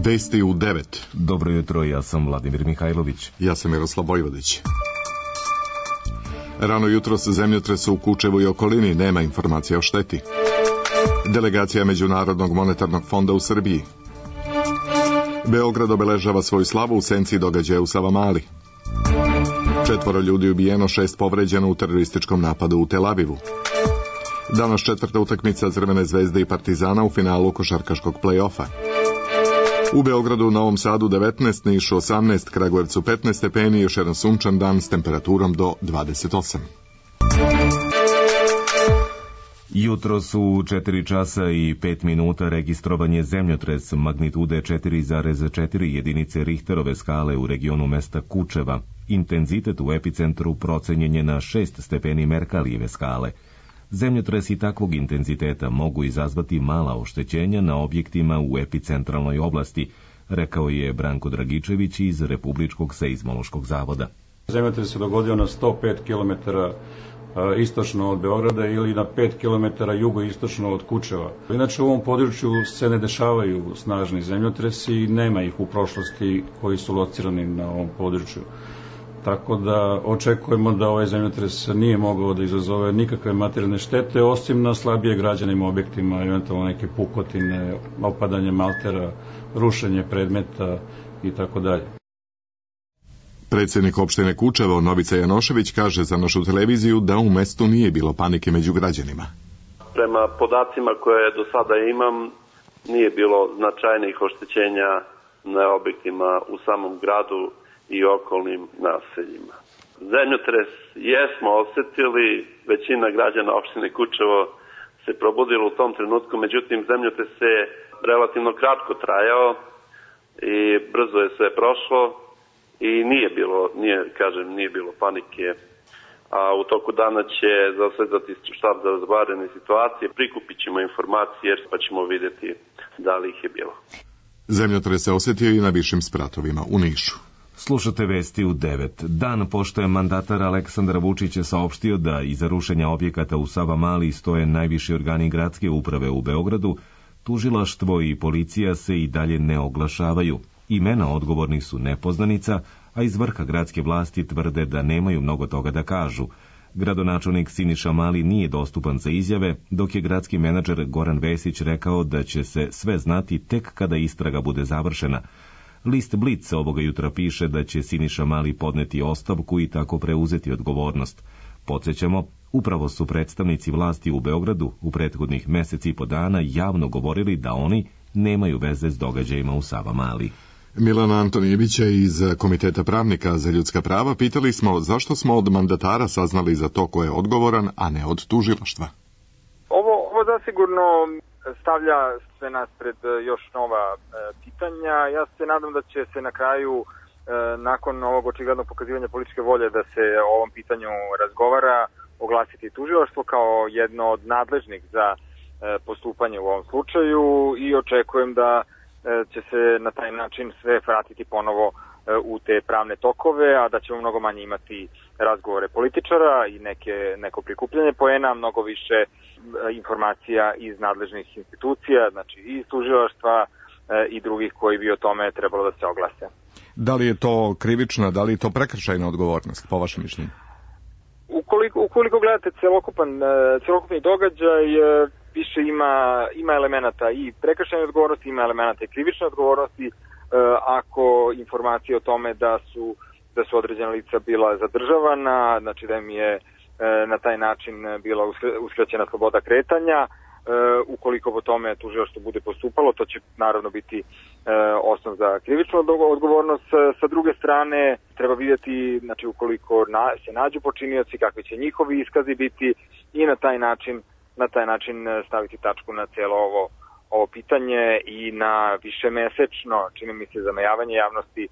Vesti u 9. Dobro jutro, ja sam Vladimir Mihajlović. Ja sam Miroslav Vojvodić. Rano jutro se zemljotres u Kučevu i okolini, nema informacija o šteti. Delegacija Međunarodnog monetarnog fonda u Srbiji. Beograd obeležava svoju slavu u senci događaja u Savamali. 4 ljudi ubijeno, 6 povređeno u terorističkom napadu u Tel Avivu. Danas 4. utakmica Crvene zvezde i Partizana u finalu košarkaškog play-offa. U Beogradu, Novom Sadu 19, Nišu 18, Kragujevcu 15 stepeni i još jedan sunčan dan s temperaturom do 28. Jutro su 4 časa i 5 minuta registrovan je zemljotres magnitude 4,4 jedinice Richterove skale u regionu mesta Kučeva. Intenzitet u epicentru procenjen je na 6 stepeni Merkalijeve skale. Zemljotresi takvog intenziteta mogu izazvati mala oštećenja na objektima u epicentralnoj oblasti, rekao je Branko Dragičević iz Republičkog seizmološkog zavoda. Zemljotres se dogodio na 105 km istočno od Beograda ili na 5 km jugoistočno od Kučeva. Inače u ovom području se ne dešavaju snažni zemljotresi i nema ih u prošlosti koji su locirani na ovom području. Tako da očekujemo da ovaj zemljotres nije mogao da izazove nikakve materijalne štete, osim na slabije građenim objektima, eventualno neke pukotine, opadanje maltera, rušenje predmeta i tako dalje. Predsjednik opštine Kučevo, Novica Janošević, kaže za našu televiziju da u mestu nije bilo panike među građanima. Prema podacima koje do sada imam, nije bilo značajnih oštećenja na objektima u samom gradu i okolnim naseljima. Zemljotres jesmo osjetili, većina građana opštine Kučevo se probudilo u tom trenutku, međutim zemljotres je relativno kratko trajao i brzo je sve prošlo i nije bilo panike. A u toku dana će zasedati štab za vanredne situacije, prikupit ćemo informacije pa ćemo vidjeti da li ih je bilo. Zemljotres se osjetio i na višim spratovima u Nišu. Slušate vesti u 9. Dan pošto je mandatar Aleksandar Vučić je saopštio da iza rušenja objekata u Savamali stoje najviši organi gradske uprave u Beogradu, tužilaštvo i policija se i dalje ne oglašavaju. Imena odgovornih su nepoznanica, a iz vrha gradske vlasti tvrde da nemaju mnogo toga da kažu. Gradonačelnik Siniša Mali nije dostupan za izjave, dok je gradski menadžer Goran Vesić rekao da će se sve znati tek kada istraga bude završena. List Blic ovoga jutra piše da će Siniša Mali podneti ostavku i tako preuzeti odgovornost. Podsjećamo, upravo su predstavnici vlasti u Beogradu u prethodnih meseci i po dana javno govorili da oni nemaju veze s događajima u Savamali. Milana Antonijevića iz Komiteta pravnika za ljudska prava pitali smo zašto smo od mandatara saznali za to ko je odgovoran, a ne od tužilaštva. Ovo zasigurno stavlja sve nas pred još nova pitanja. Ja se nadam da će se na kraju, nakon ovog očiglednog pokazivanja političke volje da se o ovom pitanju razgovara, oglasiti tužilaštvo kao jedno od nadležnih za postupanje u ovom slučaju i očekujem da će se na taj način sve vratiti ponovo u te pravne tokove, a da ćemo mnogo manje imati razgovore političara i neko prikupljanje poena, mnogo više informacija iz nadležnih institucija, znači i iz tužilaštva i drugih koji bi o tome trebalo da se oglase. Da li je to krivična, da li je to prekršajna odgovornost, po vašem mišljenju? Ukoliko gledate celokupni događaj, više ima elemenata i prekršajne odgovornosti, ima elemenata i krivične odgovornosti. Ako informacije o tome da su određena lica bila zadržavana, znači da im je na taj način bila uskraćena sloboda kretanja, ukoliko po tome tužilaštvo bude postupalo, to će naravno biti osnov za krivičnu odgovornost. Sa druge strane, treba vidjeti, znači ukoliko se nađu počinioci, kakvi će njihovi iskazi biti i na taj način staviti tačku na cijelo ovo pitanje i na višemesečno, čini mi se, zamajavanje javnosti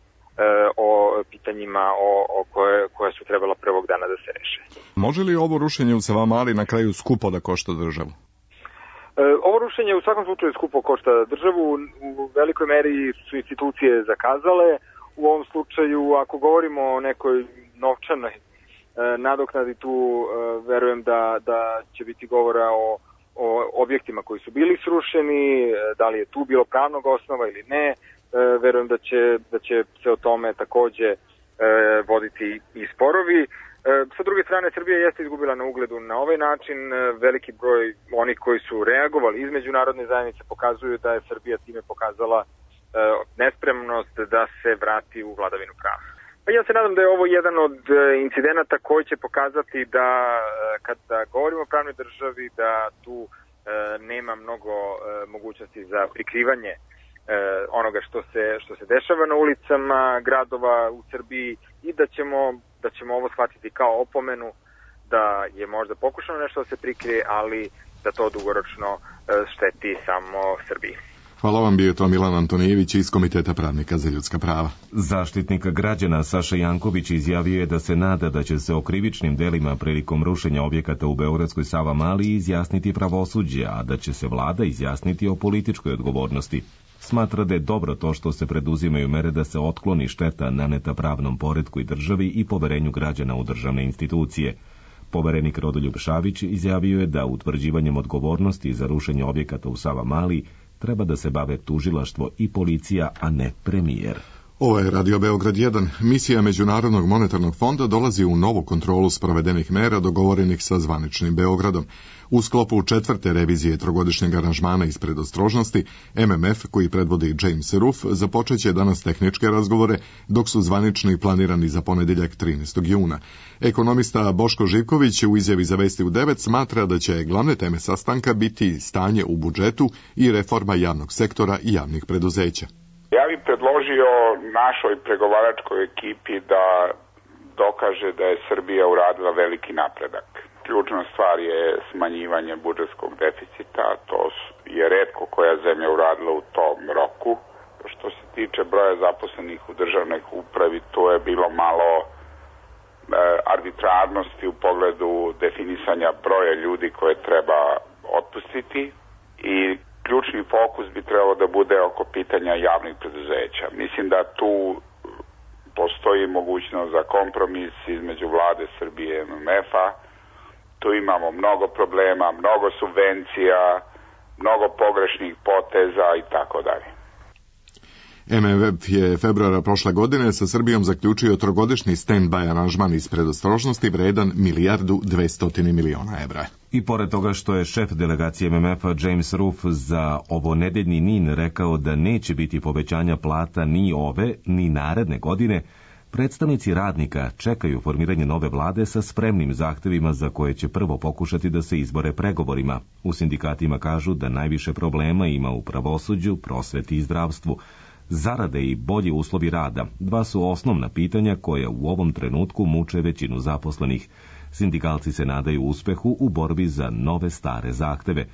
o pitanjima koje su trebala prvog dana da se reše. Može li ovo rušenje u Savamali na kraju skupo da košta državu? Ovo rušenje u svakom slučaju skupo košta državu, u velikoj meri su institucije zakazale. U ovom slučaju, ako govorimo o nekoj novčanoj nadoknadi, tu verujem da će biti govora o objektima koji su bili srušeni, da li je tu bilo pravnog osnova ili ne, verujem da će se o tome takođe voditi i sporovi. Sa druge strane, Srbija jeste izgubila na ugledu na ovaj način. Veliki broj onih koji su reagovali iz međunarodne zajednice pokazuju da je Srbija time pokazala nespremnost da se vrati u vladavinu prava. Pa ja se nadam da je ovo jedan od incidenata koji će pokazati da kada govorimo o pravnoj državi da tu nema mnogo mogućnosti za prikrivanje onoga što se dešava na ulicama gradova u Srbiji i da ćemo ovo shvatiti kao opomenu da je možda pokušano nešto da se prikrije, ali da to dugoročno šteti samo Srbiji. Hvala vam, bio je to Milan Antonijević iz Komiteta pravnika za ljudska prava. Zaštitnik građana Saša Janković izjavio je da se nada da će se o krivičnim delima prilikom rušenja objekata u beogradskoj Savamali izjasniti pravosuđe, a da će se vlada izjasniti o političkoj odgovornosti. Smatra da je dobro to što se preduzimaju mere da se otkloni šteta naneta pravnom poretku i državi i poverenju građana u državne institucije. Poverenik Rodoljub Šabić izjavio je da utvrđivanjem odgovornosti za rušenje objekata u Savamali treba da se bave tužilaštvo i policija, a ne premijer. Ovo je Radio Beograd 1. Misija Međunarodnog monetarnog fonda dolazi u novu kontrolu sprovedenih mera dogovorenih sa zvaničnim Beogradom. U sklopu 4. revizije trogodišnjeg aranžmana iz predostrožnosti, MMF, koji predvodi James Ruff, započeće danas tehničke razgovore, dok su zvanični planirani za ponedeljak 13. juna. Ekonomista Boško Živković u izjavi za Vesti u 9 smatra da će glavne teme sastanka biti stanje u budžetu i reforma javnog sektora i javnih preduzeća. Ja bih predložio našoj pregovaračkoj ekipi da dokaže da je Srbija uradila veliki napredak. Ključna stvar je smanjivanje budžetskog deficita, to je retko koja zemlja uradila u tom roku. Što se tiče broja zaposlenih u državnoj upravi, to je bilo malo arbitrarnosti u pogledu definisanja broja ljudi koje treba otpustiti i ključni fokus bi trebalo da bude oko pitanja javnih preduzeća. Mislim da tu postoji mogućnost za kompromis između vlade Srbije i MMF-a. Tu imamo mnogo problema, mnogo subvencija, mnogo pogrešnih poteza i tako dalje. MMF je februara prošle godine sa Srbijom zaključio trogodišnji stand-by aranžman iz predostrožnosti vredan $1.2 milijardi. I pored toga što je šef delegacije MMF-a James Ruff za ovonedeljni NIN rekao da neće biti povećanja plata ni ove, ni naredne godine, predstavnici radnika čekaju formiranje nove vlade sa spremnim zahtevima za koje će prvo pokušati da se izbore pregovorima. U sindikatima kažu da najviše problema ima u pravosuđu, prosveti i zdravstvu. Zarade i bolji uslovi rada, dva su osnovna pitanja koja u ovom trenutku muče većinu zaposlenih. Sindikalci se nadaju uspehu u borbi za nove stare zahteve.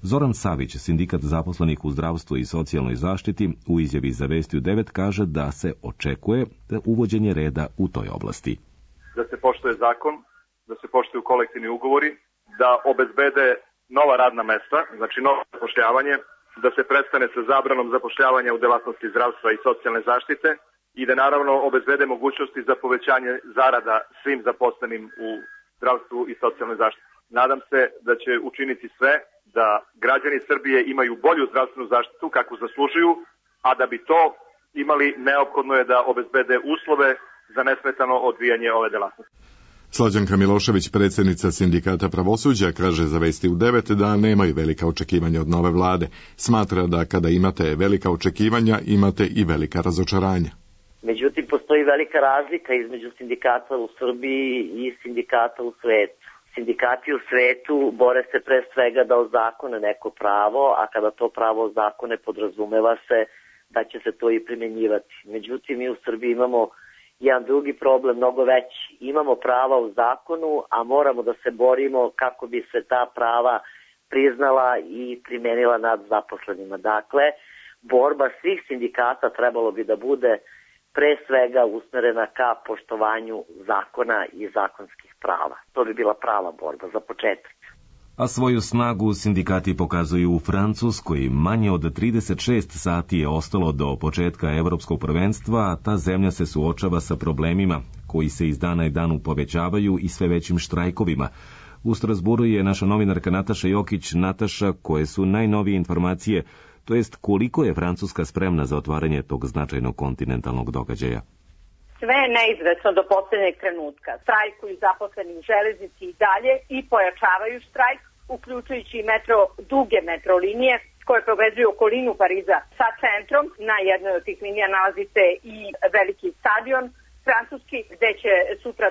Zoran Savić, sindikat zaposlenih u zdravstvu i socijalnoj zaštiti, u izjavi za Vesti u 9 kaže da se očekuje uvođenje reda u toj oblasti. Da se poštuje zakon, da se poštuju kolektivni ugovori, da obezbede nova radna mesta, znači novo zapošljavanje, da se prestane sa zabranom zapošljavanja u delatnosti zdravstva i socijalne zaštite i da naravno obezbede mogućnosti za povećanje zarada svim zaposlenim u zdravstvu i socijalnoj zaštiti. Nadam se da će učiniti sve da građani Srbije imaju bolju zdravstvenu zaštitu kakvu zaslužuju, a da bi to imali neophodno je da obezbede uslove za nesmetano odvijanje ove delatnosti. Slađanka Milošević, predsjednica sindikata pravosuđa, kaže za Vesti u 9 da nemaju velika očekivanja od nove vlade. Smatra da kada imate velika očekivanja, imate i velika razočaranja. Međutim, postoji velika razlika između sindikata u Srbiji i sindikata u svetu. Sindikati u svetu bore se pre svega da ozakone neko pravo, a kada to pravo ozakone podrazumeva se da će se to i primenjivati. Međutim, mi u Srbiji imamo jedan drugi problem, mnogo veći. Imamo prava u zakonu, a moramo da se borimo kako bi se ta prava priznala i primenila nad zaposlenima. Dakle, borba svih sindikata trebalo bi da bude pre svega usmerena ka poštovanju zakona i zakonskih prava. To bi bila prava borba za početak. A svoju snagu sindikati pokazuju u Francuskoj. Manje od 36 sati je ostalo do početka evropskog prvenstva, a ta zemlja se suočava sa problemima koji se iz dana i danu povećavaju i sve većim štrajkovima. U Strasburu je naša novinarka Nataša Jokić. Nataša, koje su najnovije informacije to jest koliko je Francuska spremna za otvaranje tog značajnog kontinentalnog događaja. Sve je neizvesno do posljednjeg trenutka. Strajkuju zaposleni u železnici i dalje i pojačavaju štrajk, uključujući i duge metrolinije koje povezuju okolinu Pariza sa centrom. Na jednoj od tih linija nalazi se i veliki stadion francuski, gde će sutra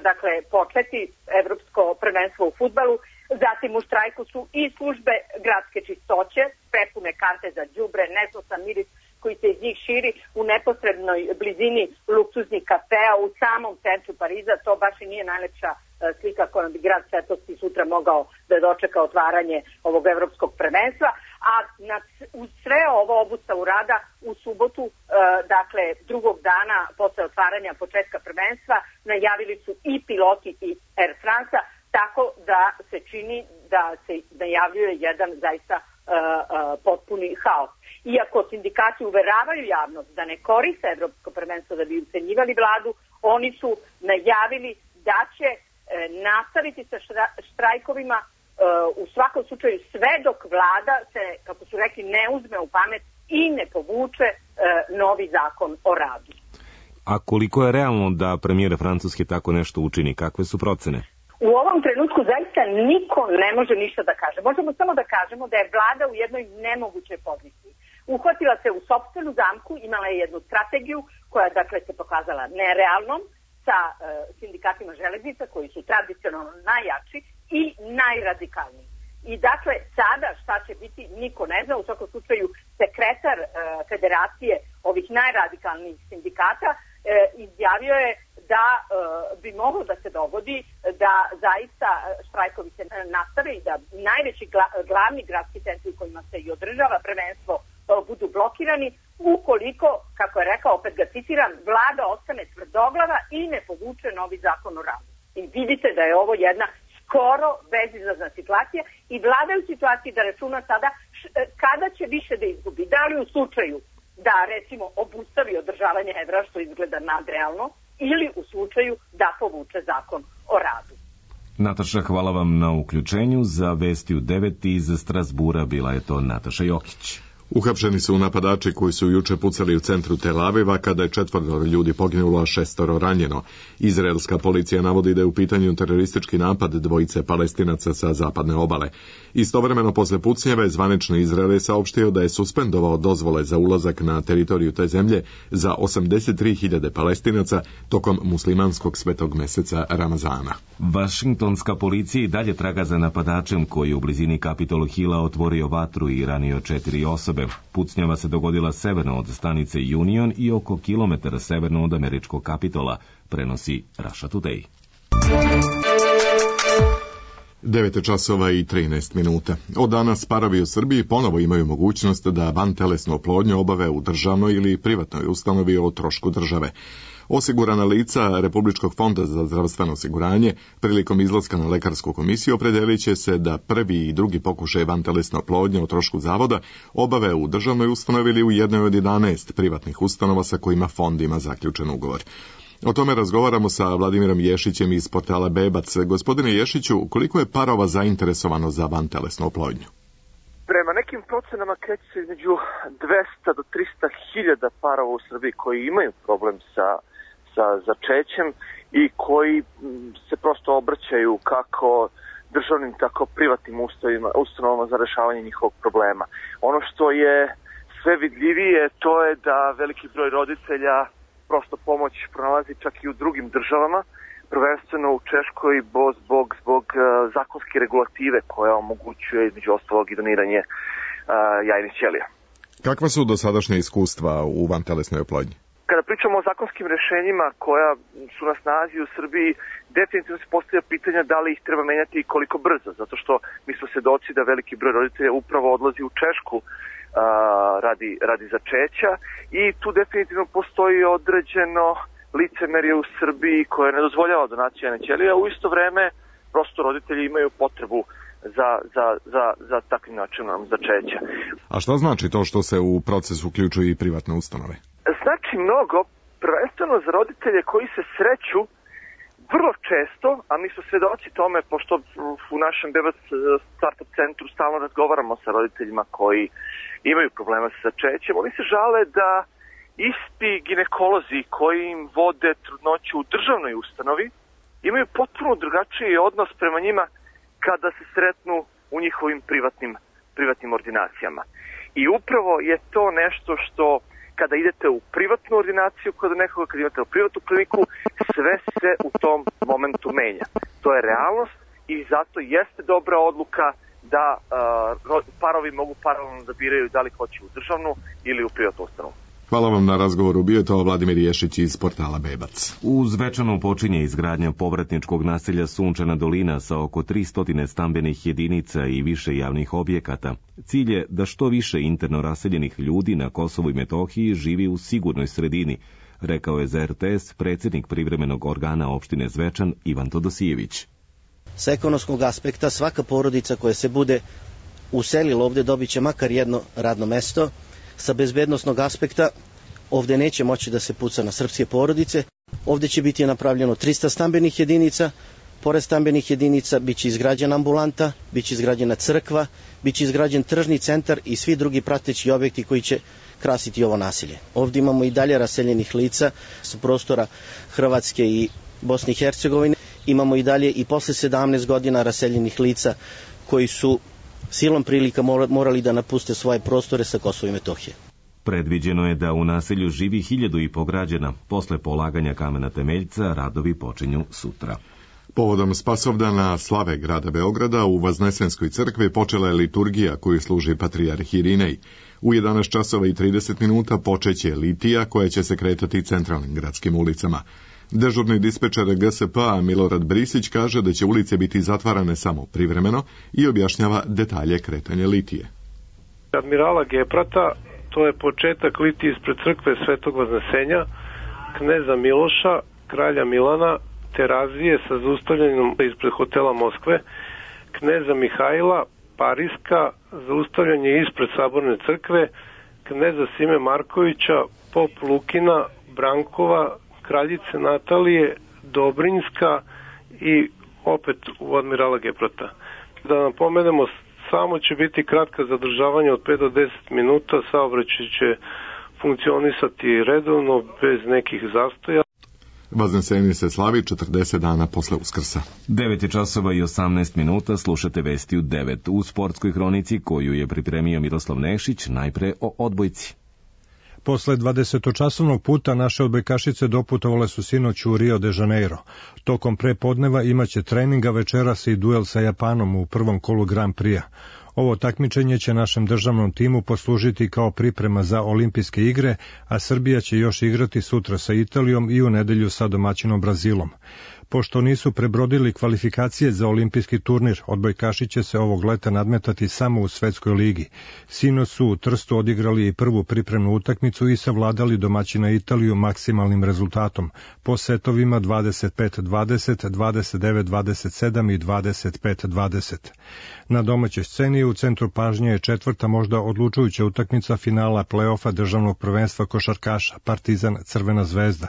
početi evropsko prvenstvo u fudbalu. Zatim u štrajku su i službe gradske čistoće, prepune kante za đubre, nesosan miris koji se iz njih širi u neposrednoj blizini luksuznih kafea u samom centru Pariza. To baš i nije najlepša slika kojom bi grad svetosti sutra mogao da dočeka otvaranje ovog evropskog prvenstva. A uz sve ovo obustavu rada u subotu, drugog dana posle otvaranja početka prvenstva, najavili su i piloti i Air France, tako da se čini da se najavljuje jedan zaista potpuni haos. Iako sindikati uveravaju javnost da ne koriste evropsko prvenstvo da bi ucenjivali vladu, oni su najavili da će nastaviti sa štrajkovima u svakom slučaju sve dok vlada se, kako su rekli, ne uzme u pamet i ne povuče novi zakon o radu. A koliko je realno da premijer Francuske tako nešto učini? Kakve su procene? U ovom trenutku zaista niko ne može ništa da kaže. Možemo samo da kažemo da je vlada u jednoj nemogućoj poziciji. Uhvatila se u sopstvenu zamku, imala je jednu strategiju koja se pokazala nerealnom sa sindikatima železnica koji su tradicionalno najjači i najradikalniji. I sada šta će biti niko ne zna. U svakom slučaju sekretar federacije ovih najradikalnijih sindikata izjavio je da bi moglo da se dogodi da zaista štrajkovi se nastave i da najveći glavni gradski centri u kojima se i održava prvenstvo budu blokirani ukoliko, kako je rekao, opet ga citiram, vlada ostane tvrdoglava i ne povuče novi zakon o radu. I vidite da je ovo jedna skoro bezizlazna situacija i vlada je u situaciji da računa sada kada će više da izgubi. Da li u slučaju da recimo obustavi održavanje evra, što izgleda nadrealno, ili u slučaju da povuče zakon o radu. Nataša, hvala vam na uključenju. Za Vesti u 9 iz Strasbura bila je to Nataša Jokić. Uhapšeni su napadači koji su juče pucali u centru Tel Aviva kada je 4 ljudi poginulo, a 6 ranjeno. Izraelska policija navodi da je u pitanju teroristički napad dvojice Palestinaca sa zapadne obale. Istovremeno posle pucnjeve zvanični Izrael je saopštio da je suspendovao dozvole za ulazak na teritoriju te zemlje za 83.000 Palestinaca tokom muslimanskog svetog meseca Ramazana. Vašingtonska policija i dalje traga za napadačem koji je u blizini Capitol Hilla otvorio vatru i ranio 4 osobe. Pucnjava se dogodila severno od stanice Union i oko kilometara severno od američkog Kapitola, prenosi Russia Today. 9:13. Od danas parovi u Srbiji ponovo imaju mogućnost da vantelesnu oplodnju obave u državnoj ili privatnoj ustanovi o trošku države. Osigurana lica Republičkog fonda za zdravstveno osiguranje prilikom izlaska na lekarsku komisiju opredelit će se da prvi i drugi pokušaj vantelesne oplodnje o trošku zavoda obave u državnoj ustanovi ili u jednoj od 11 privatnih ustanova sa kojima fond ima zaključen ugovor. O tome razgovaramo sa Vladimirom Ješićem iz portala Bebac. Gospodine Ješiću, koliko je parova zainteresovano za vantelesnu oplodnju? Prema nekim procenama kreće se između 200 do 300 hiljada parova u Srbiji koji imaju problem sa začećem i koji se prosto obraćaju kako državnim, tako privatnim ustanovama za rešavanje njihovog problema. Ono što je sve vidljivije, to je da veliki broj roditelja prosto pomoć pronalazi čak i u drugim državama, prvenstveno u Češkoj zbog zakonske regulative koja omogućuje između ostalog i doniranje jajnih ćelija. Kakva su dosadašnja iskustva u vantelesnoj oplodnji? Kada pričamo o zakonskim rešenjima koja su na snazi u Srbiji, definitivno se postavlja pitanja da li ih treba menjati i koliko brzo, zato što mi smo svedoci da veliki broj roditelja upravo odlazi u Češku radi začeća i tu definitivno postoji određeno licemerje u Srbiji koje ne dozvoljava donaciju jajne ćelije, a u isto vreme prosto roditelji imaju potrebu za takvim načinom začeća. A šta znači to što se u proces uključuju i privatne ustanove? Znači mnogo, prvenstveno za roditelje koji se sreću vrlo često, a mi smo svedoci tome, pošto u našem Bebac startup centru stalno razgovaramo sa roditeljima koji imaju problema sa začećem, oni se žale da isti ginekolozi koji im vode trudnoću u državnoj ustanovi imaju potpuno drugačiji odnos prema njima kada se sretnu u njihovim privatnim ordinacijama. I upravo je to nešto što kada idete u privatnu ordinaciju kod nekoga, kada idete u privatnu kliniku, sve se u tom momentu menja. To je realnost i zato jeste dobra odluka da parovi mogu paralelno da biraju da li hoće u državnu ili u privatnu ustanovu. Hvala vam na razgovoru. Bio je to Vladimir Ješić iz portala Bebac. U Zvečanu počinje izgradnja povratničkog naselja Sunčana dolina sa oko 300 stambenih jedinica i više javnih objekata. Cilj je da što više interno raseljenih ljudi na Kosovu i Metohiji živi u sigurnoj sredini, rekao je za RTS predsjednik privremenog organa opštine Zvečan Ivan Todosijević. Sa ekonomskog aspekta svaka porodica koja se bude uselila ovdje dobit će makar jedno radno mesto. Sa bezbednosnog aspekta ovdje neće moći da se puca na srpske porodice. Ovdje će biti napravljeno 300 stambenih jedinica. Pored stambenih jedinica bit će izgrađena ambulanta, bit će izgrađena crkva, bit će izgrađen tržni centar i svi drugi prateći objekti koji će krasiti ovo naselje. Ovdje imamo i dalje raseljenih lica sa prostora Hrvatske i Bosne i Hercegovine. Imamo i dalje i posle 17 godina raseljenih lica koji su silom prilika morali da napuste svoje prostore sa Kosova i Metohije. Predviđeno je da u naselju živi 1.500 građana. Posle polaganja kamena temeljca radovi počinju sutra. Povodom Spasovdana slave grada Beograda u Vaznesenskoj crkvi počela je liturgija koju služi patrijarh Irinej. U 11 časova i 30 minuta počeće litija koja će se kretati centralnim gradskim ulicama. Dežurni dispečer GSP-a Milorad Brisić kaže da će ulice biti zatvarane samo privremeno i objašnjava detalje kretanja litije. Admirala Geprata, to je početak litije ispred crkve Svetog Vaznesenja, kneza Miloša, kralja Milana, Terazije sa zaustavljanjem ispred hotela Moskve, kneza Mihajla, Pariska, zaustavljanje ispred Saborne crkve, kneza Sime Markovića, pop Lukina, Brankova, kraljice Natalije, Dobrinjska i opet u Admirala Geprata. Da napomenemo, samo će biti kratka zadržavanja od 5 do 10 minuta, saobraćaj će funkcionisati redovno, bez nekih zastoja. Vaznesen se slavi 40 dana posle Uskrsa. 9 časova i 18 minuta, slušate vesti u 9. U sportskoj hronici koju je pripremio Miroslav Nešić, najpre o odbojci. Posle 20-časovnog puta naše odbojkašice doputovale su sinoć u Rio de Janeiro. Tokom prepodneva imaće treninga, večeras i duel sa Japanom u prvom kolu Grand Prix-a. Ovo takmičenje će našem državnom timu poslužiti kao priprema za olimpijske igre, a Srbija će još igrati sutra sa Italijom i u nedelju sa domaćinom Brazilom. Pošto nisu prebrodili kvalifikacije za olimpijski turnir, odbojkaši će se ovog leta nadmetati samo u svetskoj ligi. Sinoć su u Trstu odigrali i prvu pripremnu utakmicu i savladali domaćina Italiju maksimalnim rezultatom, po setovima 25-20, 29-27 i 25-20. Na domaćoj sceni u centru pažnje je četvrta možda odlučujuća utakmica finala play-offa državnog prvenstva košarkaša, Partizan Crvena zvezda.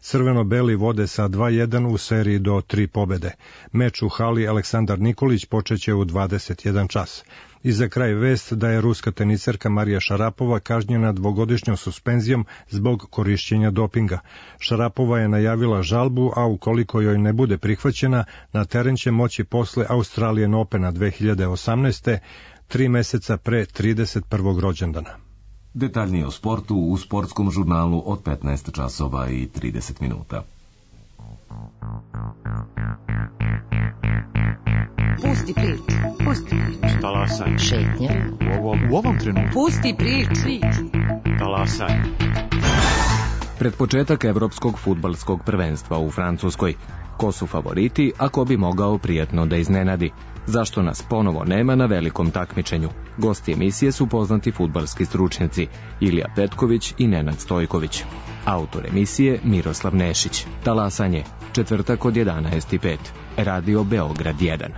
Crveno-beli vode sa 2-1 u seriji do 3 pobede. Meč u hali Aleksandar Nikolić počeće u 21 čas. I za kraj vest da je ruska teniserka Marija Šarapova kažnjena 2-godišnjom suspenzijom zbog korišćenja dopinga. Šarapova je najavila žalbu, a ukoliko joj ne bude prihvaćena, na teren će moći posle Australian Opena 2018. 3 meseca pre 31. rođendana. Detaljnije o sportu u sportskom žurnalu od 15 časova i 30 minuta. Pusti priču. Pusti priču. Talasaj. Šetnja. U ovom trenutku. Pusti priču. Talasaj. Pred početak evropskog fudbalskog prvenstva u Francuskoj. Ko su favoriti, a ko bi mogao prijatno da iznenadi? Zašto nas ponovo nema na velikom takmičenju? Gosti emisije su poznati fudbalski stručnjaci Ilija Petković i Nenad Stojković. Autor emisije Miroslav Nešić. Talasanje, četvrtak od 11:05. Radio Beograd 1.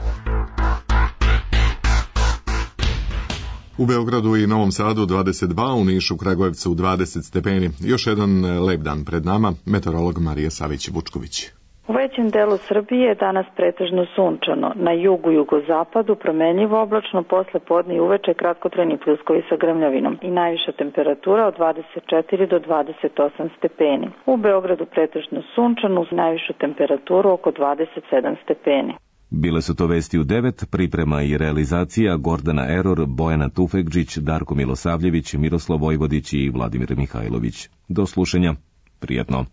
U Beogradu i Novom Sadu 22, u Nišu, Kragujevcu 20 stepeni. Još jedan lep dan pred nama, meteorolog Marija Savić-Vučković. U većem delu Srbije je danas pretežno sunčano. Na jugu i jugozapadu promenljivo oblačno, posle podne i uveče kratkotrajni pljuskovi sa grmljavinom i najviša temperatura od 24 do 28 stepeni. U Beogradu pretežno sunčano, uz najvišu temperaturu oko 27 stepeni. Bile su to vesti u 9, priprema i realizacija Gordana Eror, Bojana Tufekđić, Darko Milosavljević, Miroslav Vojvodić i Vladimir Mihajlović. Do slušanja. Prijetno.